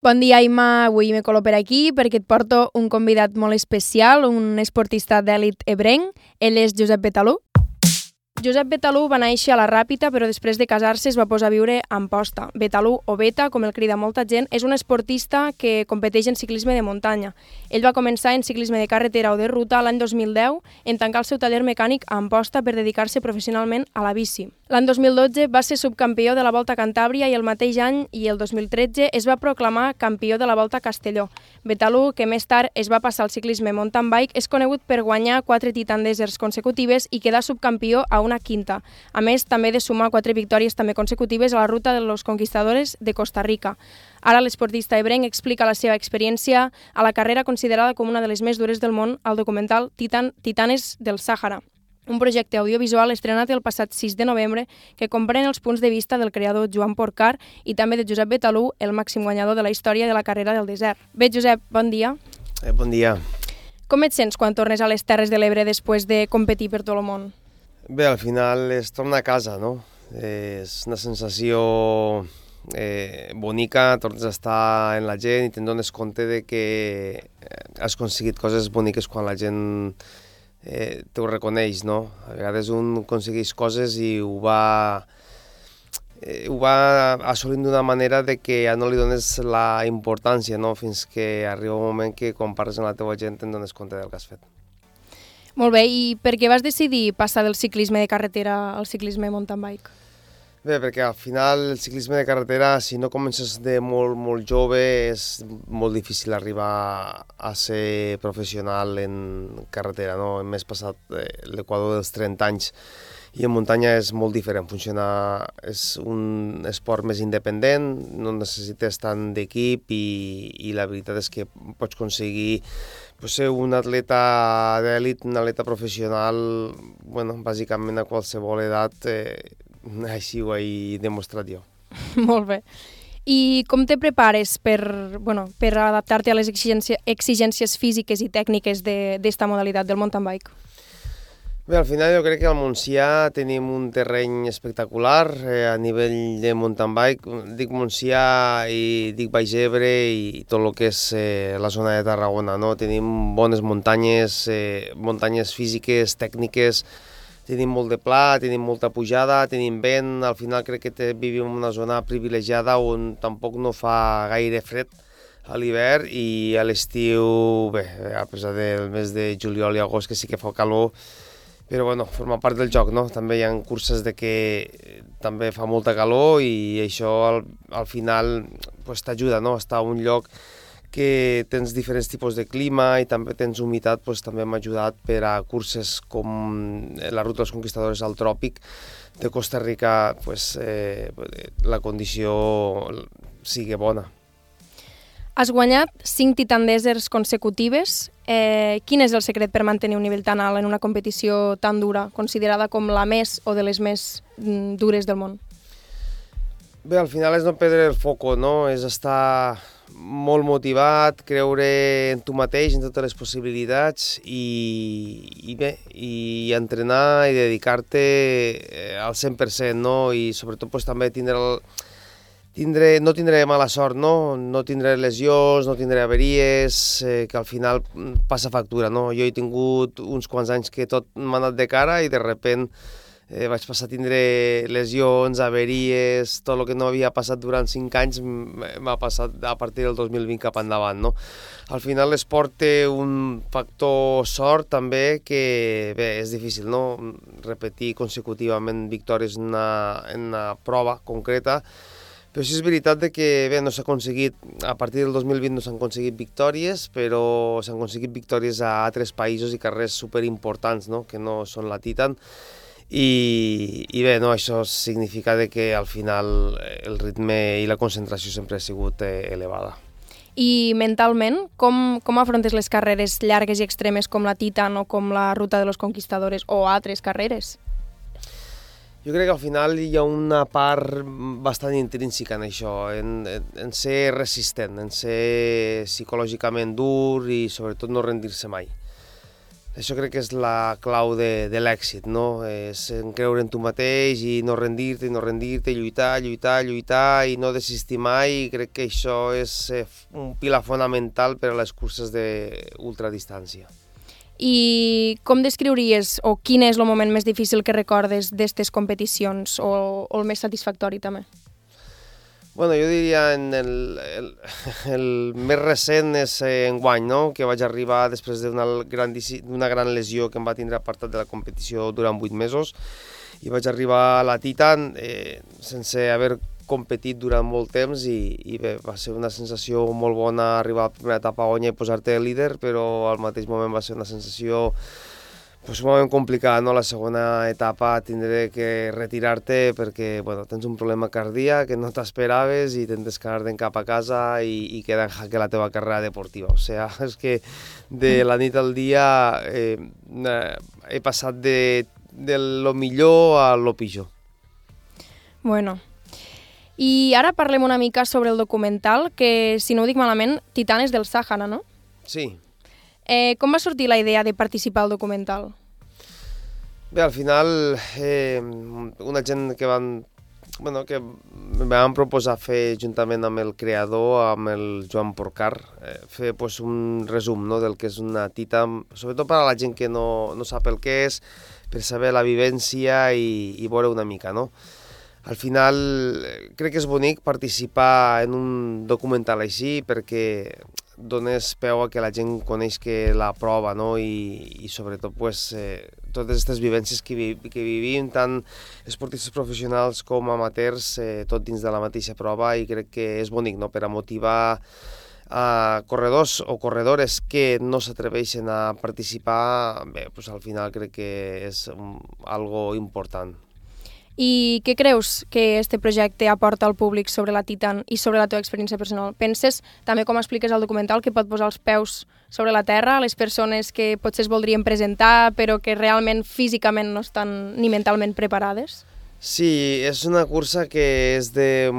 Bon dia, Imma. Avui me colo per aquí perquè et porto un convidat molt especial, un esportista d'èlit ebrenc. Ell és Josep Betalú. Josep Betalú va néixer a la Ràpita, però després de casar-se es va posar a viure a Amposta. Betalú, o Beta, com el crida molta gent, és un esportista que competeix en ciclisme de muntanya. Ell va començar en ciclisme de carretera o de ruta l'any 2010 en tancar el seu taller mecànic a Amposta per dedicar-se professionalment a la bici. L'any 2012 va ser subcampió de la Volta a Cantàbria i el mateix any, i el 2013, es va proclamar campió de la Volta a Castelló. Betalú, que més tard es va passar al ciclisme mountain bike, és conegut per guanyar 4 Titan Deserts consecutives i quedar subcampió a una quinta. A més, també de sumar 4 victòries també consecutives a la ruta de los Conquistadores de Costa Rica. Ara l'esportista ebrenc explica la seva experiència a la carrera considerada com una de les més dures del món al documental Titanes del Sàhara, un projecte audiovisual estrenat el passat 6 de novembre que comprèn els punts de vista del creador Joan Porcar i també de Josep Betalú, el màxim guanyador de la història de la carrera del desert. Bé, Josep, bon dia. Bon dia. Com et sents quan tornes a les Terres de l'Ebre després de competir per tot el món? Bé, al final es torna a casa, no? És una sensació bonica, tornes a estar en la gent i te'n dones compte de que has aconseguit coses boniques quan la gent te ho reconeix, no? A vegades un aconsegueix coses i ho va assolint d'una manera de que ja no li dones la importància, no? Fins que arriba un moment que quan parles amb la teva gent te'n dones compte del que has fet. Molt bé, i per què vas decidir passar del ciclisme de carretera al ciclisme mountain bike? Bé, perquè al final el ciclisme de carretera, si no comences de molt jove, és molt difícil arribar a ser professional en carretera, no? Hem més passat l'equador dels 30 anys i en muntanya és molt diferent, és un esport més independent, no necessites tant d'equip i la veritat és que pots aconseguir ser un atleta d'èlit, un atleta professional, bàsicament a qualsevol edat, així ho he demostrat jo. Molt bé. I com te prepares per adaptar-te a les exigències físiques i tècniques d'esta modalitat del mountain bike? Bé, al final jo crec que al Montsià tenim un terreny espectacular a nivell de mountain bike. Dic Montsià i dic Baix Ebre i tot el que és la zona de Tarragona, no? Tenim bones muntanyes, muntanyes físiques, tècniques, tenim molt de pla, tenim molta pujada, tenim vent. Al final crec que vivim en una zona privilegiada on tampoc no fa gaire fred a l'hivern i a l'estiu, bé, a pesar del mes de juliol i agost que sí que fa calor, però forma part del joc, no? També hi ha curses de que també fa molta calor i això al final t'ajuda, no? Estar a un lloc que tens diferents tipus de clima i també tens humitat, també m'ha ajudat per a curses com la ruta dels Conquistadores al tròpic de Costa Rica, la condició sigui bona. Has guanyat 5 Titan Deserts consecutives. Quin és el secret per mantenir un nivell tan alt en una competició tan dura, considerada com la més o de les més dures del món? Bé, al final és no perdre el foco, no? És estar molt motivat, creure en tu mateix, en totes les possibilitats i entrenar i dedicar-te al 100%, no? I sobretot també no tindré mala sort, no tindré lesions, no tindré averies, que al final passa factura, no? Jo he tingut uns quants anys que tot m'ha anat de cara i de sobte vaig passar a tindre lesions, averies, tot el que no havia passat durant 5 anys m'ha passat a partir del 2020 cap endavant, no? Al final l'esport té un factor sort també que, bé, és difícil, no? Repetir consecutivament victòries en una prova concreta, però sí és veritat que bé, no s'ha aconseguit, a partir del 2020 no s'han aconseguit victòries, però s'han aconseguit victòries a altres països i carrers superimportants, no? Que no són la Titan. I bé, no, això significa que al final el ritme i la concentració sempre ha sigut elevada. I mentalment, com afrontes les carreres llargues i extremes com la Titan o com la Ruta de los Conquistadores o altres carreres? Jo crec que al final hi ha una part bastant intrínseca en això, en ser resistent, en ser psicològicament dur i sobretot no rendir-se mai. Això crec que és la clau de l'èxit, no? És creure en tu mateix i no rendir-te, lluitar i no desistir mai. I crec que això és un pilar fonamental per a les curses d'ultradistància. I com descriuries, o quin és el moment més difícil que recordes d'aquestes competicions, o el més satisfactori també? Bueno, jo diria el més recent és enguany, no? Que vaig arribar després d'una gran lesió que em va tindre apartat de la competició durant 8 mesos i vaig arribar a la Titan sense haver competit durant molt temps i bé, va ser una sensació molt bona arribar a la primera etapa a Onya i posar-te líder, però al mateix moment va ser una sensació sumament complicada, no? La segona etapa tindré que retirar-te perquè tens un problema cardíac que no t'esperaves i tens que anar-te'n cap a casa i queda en jaque la teva carrera deportiva. O sigui, és que de la nit al dia he passat de lo millor a lo pitjor. Bueno, i ara parlem una mica sobre el documental, que, si no ho dic malament, Titanes del Sàhara, no? Sí. Com va sortir la idea de participar al documental? Bé, al final, una gent que em van proposar fer, juntament amb el creador, amb el Joan Porcar, fer un resum, no?, del que és una Titan, sobretot per a la gent que no sap el que és, per saber la vivència i veure una mica, no? Al final, crec que és bonic participar en un documental així perquè dones peu a que la gent coneix que la prova, no? I sobretot totes aquestes vivències que vivim, tant esportistes professionals com amateurs, tot dins de la mateixa prova, i crec que és bonic, no?, per a motivar a corredors o corredores que no s'atreveixen a participar. Bé, al final crec que és algo important. I què creus que este projecte aporta al públic sobre la Titan i sobre la teva experiència personal? Penses, també com expliques al documental, que pot posar els peus sobre la terra a les persones que potser es voldrien presentar però que realment físicament no estan ni mentalment preparades? Sí, és una cursa que és de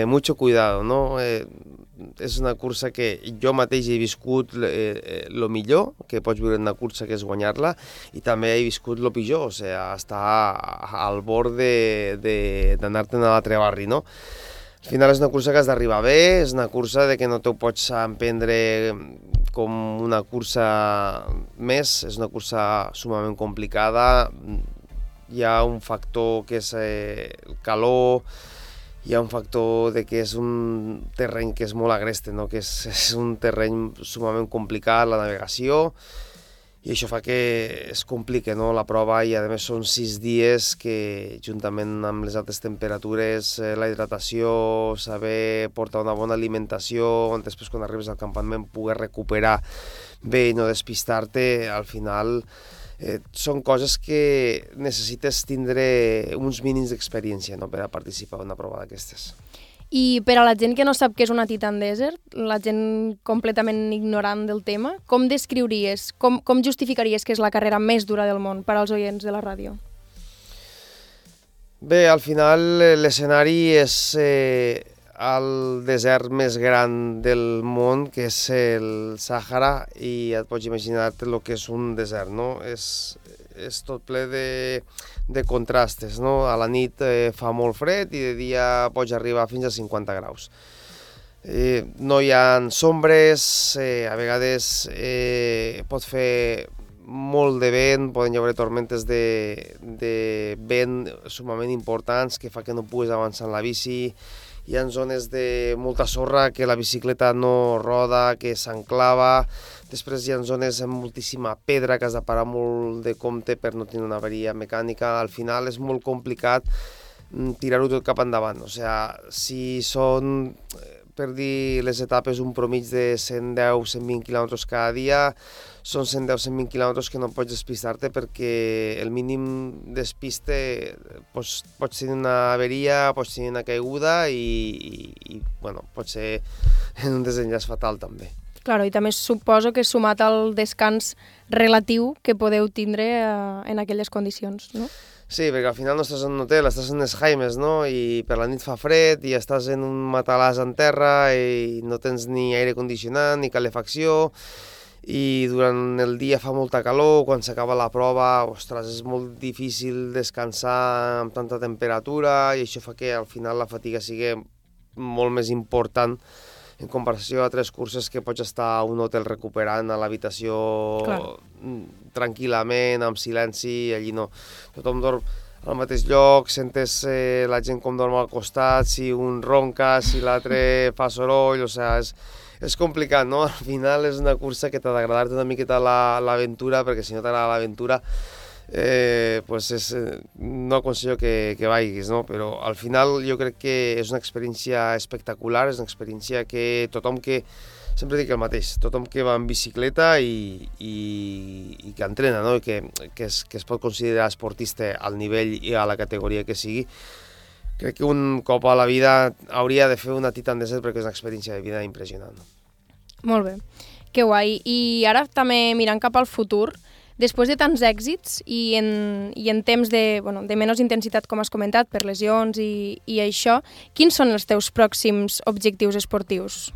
mucho cuidado, ¿no? És una cursa que jo mateix he viscut el millor que pots viure en una cursa, que és guanyar-la, i també he viscut el pitjor, o sigui, estar al bord d'anar-te'n a l'altre barri, no? Al final és una cursa que has d'arribar bé, és una cursa que no t'ho pots emprendre com una cursa més, és una cursa sumament complicada. Hi ha un factor que és el calor, hi ha un factor de que és un terreny que és molt agreste, no? Que és un terreny sumament complicat, la navegació, i això fa que es compliqui, no?, la prova, i a més són 6 dies que, juntament amb les altes temperatures, la hidratació, saber portar una bona alimentació, on després quan arribes al campament poder recuperar bé i no despistar-te, al final són coses que necessites tindre uns mínims d'experiència, no?, per a participar en una prova d'aquestes. I per a la gent que no sap què és una Titan Desert, la gent completament ignorant del tema, com descriuries, com justificaries que és la carrera més dura del món per als oients de la ràdio? Bé, al final l'escenari és el desert més gran del món, que és el Sàhara, i et pots imaginar-te el que és un desert, no? És tot ple de contrastes, no? A la nit fa molt fred i de dia pots arribar fins a 50 graus. No hi ha sombres, a vegades pot fer molt de vent, poden haver tormentes de vent sumament importants que fa que no puguis avançar en la bici. Hi ha zones de molta sorra que la bicicleta no roda, que s'enclava. Després hi ha zones amb moltíssima pedra que has de parar molt de compte per no tenir una avaria mecànica. Al final és molt complicat tirar-ho tot cap endavant. O sigui, si són, per dir les etapes, un promig de 110-120 quilòmetres cada dia, són 110-120 quilòmetres que no pots despistar-te, perquè el mínim despiste pots tenir una averia, pots tenir una caiguda i pot ser en un desenllaç fatal també. Claro, i també suposo que sumat al descans relatiu que podeu tindre en aquelles condicions, no? Sí, perquè al final no estàs en un hotel, estàs en les Jaimes, no? I per la nit fa fred i estàs en un matalàs en terra i no tens ni aire condicionat ni calefacció, i durant el dia fa molta calor, quan s'acaba la prova, ostres, és molt difícil descansar amb tanta temperatura i això fa que al final la fatiga sigui molt més important en comparació a altres curses que pots estar a un hotel recuperant a l'habitació tranquil·lament, amb silenci, allí no. Tothom dorm al mateix lloc, sentes la gent com dorm al costat, si un ronca, si l'altre fa soroll, o sigui, és complicat, no? Al final és una cursa que t'ha d'agradar-te una miqueta l'aventura, perquè si no t'agrada l'aventura, pues no aconsello que vagis, no? Però al final jo crec que és una experiència espectacular, és una experiència que tothom que, sempre dic el mateix, tothom que va en bicicleta i que entrena, no? I que es pot considerar esportista al nivell i a la categoria que sigui, crec que un cop a la vida hauria de fer una Titan Desert perquè és una experiència de vida impressionant. Molt bé, que guai. I ara també mirant cap al futur, després de tants èxits i en temps de menys intensitat, com has comentat, per lesions i això, quins són els teus pròxims objectius esportius?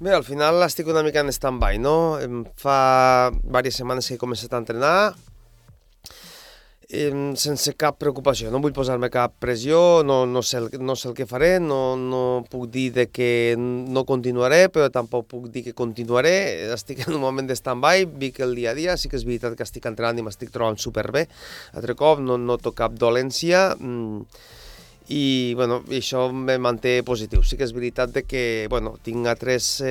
Bé, al final estic una mica en stand-by, no? Fa diverses setmanes que he començat a entrenar, sense cap preocupació, no vull posar-me cap pressió, no sé el que faré, no puc dir que no continuaré, però tampoc puc dir que continuaré, estic en un moment de stand-by, vic el dia a dia, sí que és veritat que estic entrenant i m'estic trobant superbé, altre cop no noto cap dolència, i això me manté positiu. Sí que és veritat que tinc altres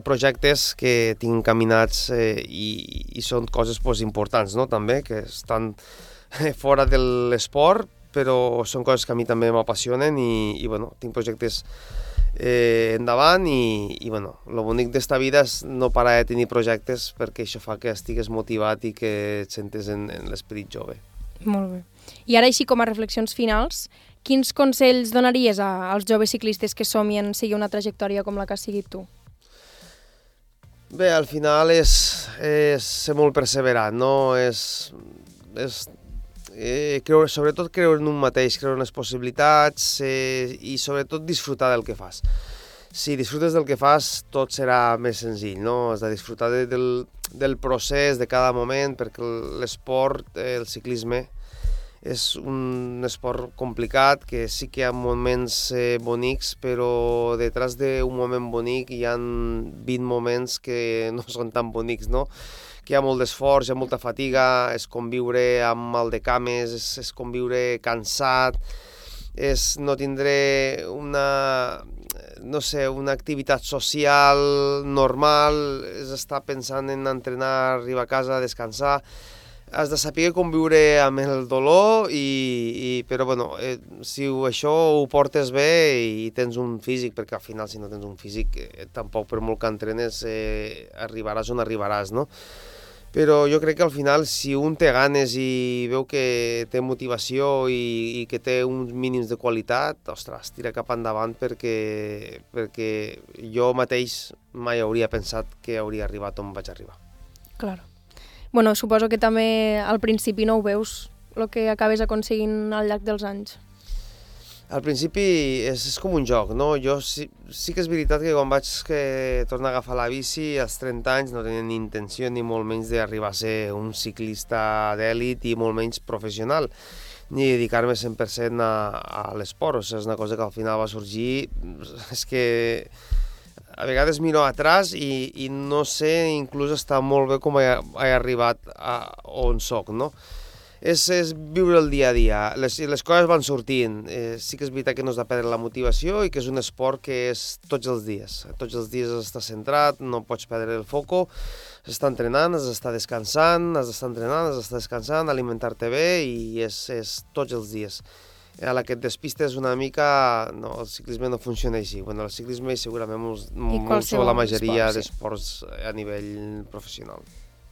projectes que tinc encaminats i són coses importants, no? També, que estan fora de l'esport, però són coses que a mi també m'apassionen i tinc projectes endavant i el bonic d'esta vida és no parar de tenir projectes perquè això fa que estigues motivat i que et sentes en l'esperit jove. Molt bé. I ara, així com a reflexions finals, quins consells donaries als joves ciclistes que somien seguir una trajectòria com la que has seguit tu? Bé, al final és ser molt perseverant, no? Sobretot creure en un mateix, creure en les possibilitats i sobretot disfrutar del que fas. Si disfrutes del que fas, tot serà més senzill, no? Has de disfrutar del procés, de cada moment, perquè l'esport, el ciclisme, és un esport complicat, que sí que hi ha moments bonics, però detrás d'un moment bonic hi ha 20 moments que no són tan bonics, no? Que hi ha molt d'esforç, hi ha molta fatiga, és conviure amb mal de cames, és conviure cansat, és no tindre una activitat social normal, és estar pensant en entrenar, arribar a casa, descansar. Has de saber conviure amb el dolor, però si això ho portes bé i tens un físic, perquè al final si no tens un físic tampoc per molt que entrenes arribaràs on arribaràs, no? Però jo crec que al final si un té ganes i veu que té motivació i que té uns mínims de qualitat, ostres, tira cap endavant perquè jo mateix mai hauria pensat que hauria arribat on vaig arribar. Claro. Suposo que també al principi no ho veus, el que acabes aconseguint al llarg dels anys. Al principi és com un joc, no? Jo sí que és veritat que quan vaig tornar a agafar la bici als 30 anys no tenia ni intenció ni molt menys d'arribar a ser un ciclista d'èlit i molt menys professional, ni dedicar-me 100% a l'esport. O sigui, és una cosa que al final va sorgir, és que a vegades miro atrás i no sé inclús està molt bé com he arribat a on soc, no? És viure el dia a dia, les coses van sortint, sí que és veritat que no has de perdre la motivació i que és un esport que és tots els dies has d'estar centrat, no pots perdre el foco, has d'estar entrenant, has d'estar descansant, has d'estar entrenant, has d'estar descansant, alimentar-te bé i és tots els dies. A la que et despistes una mica, no, el ciclisme no funciona així. El ciclisme i segurament molt la majoria d'esports a nivell professional.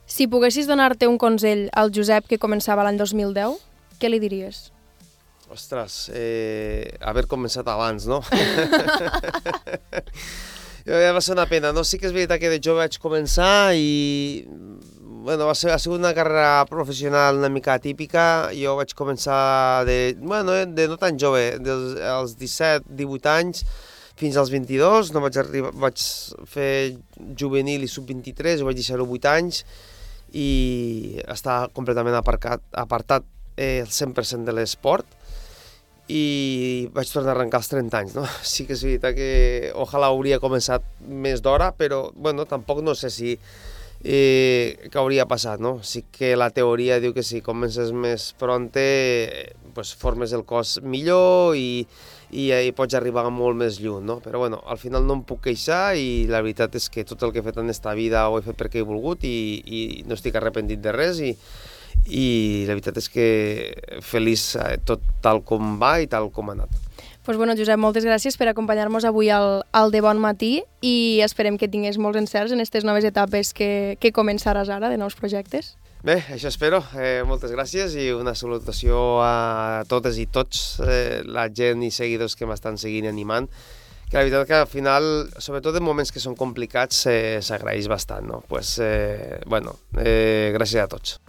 Si poguessis donar-te un consell al Josep que començava l'any 2010, què li diries? Ostres, haver començat abans, no? Ja va ser una pena, no? Sí que és veritat que de jove vaig començar i ha sigut una carrera professional una mica atípica. Jo vaig començar de no tan jove, als 17-18 anys, fins als 22, no vaig fer juvenil i sub-23, ho vaig deixar 8 anys i està completament apartat el 100% de l'esport i vaig tornar a arrencar als 30 anys, no? Sí que és veritat que ojalà hauria començat més d'hora, però bueno, tampoc no sé si què hauria passat, no? Sí que la teoria diu que si comences més pronte pues, formes el cos millor i pots arribar molt més lluny, no? Però bueno, al final no em puc queixar i la veritat és que tot el que he fet en esta vida ho he fet perquè he volgut i no estic arrepentit de res i la veritat és que feliç tot tal com va i tal com ha anat. Pues bueno, Josep, moltes gràcies per acompanyar-nos avui al De Bon Matí i esperem que tinguis molts encerts en aquestes noves etapes que començaràs ara, de nous projectes. Bé, això espero. Moltes gràcies i una salutació a totes i tots, la gent i seguidors que m'estan seguint i animant, que la veritat que al final, sobretot en moments que són complicats, s'agraeix bastant, no? Pues, bueno, gràcies a tots.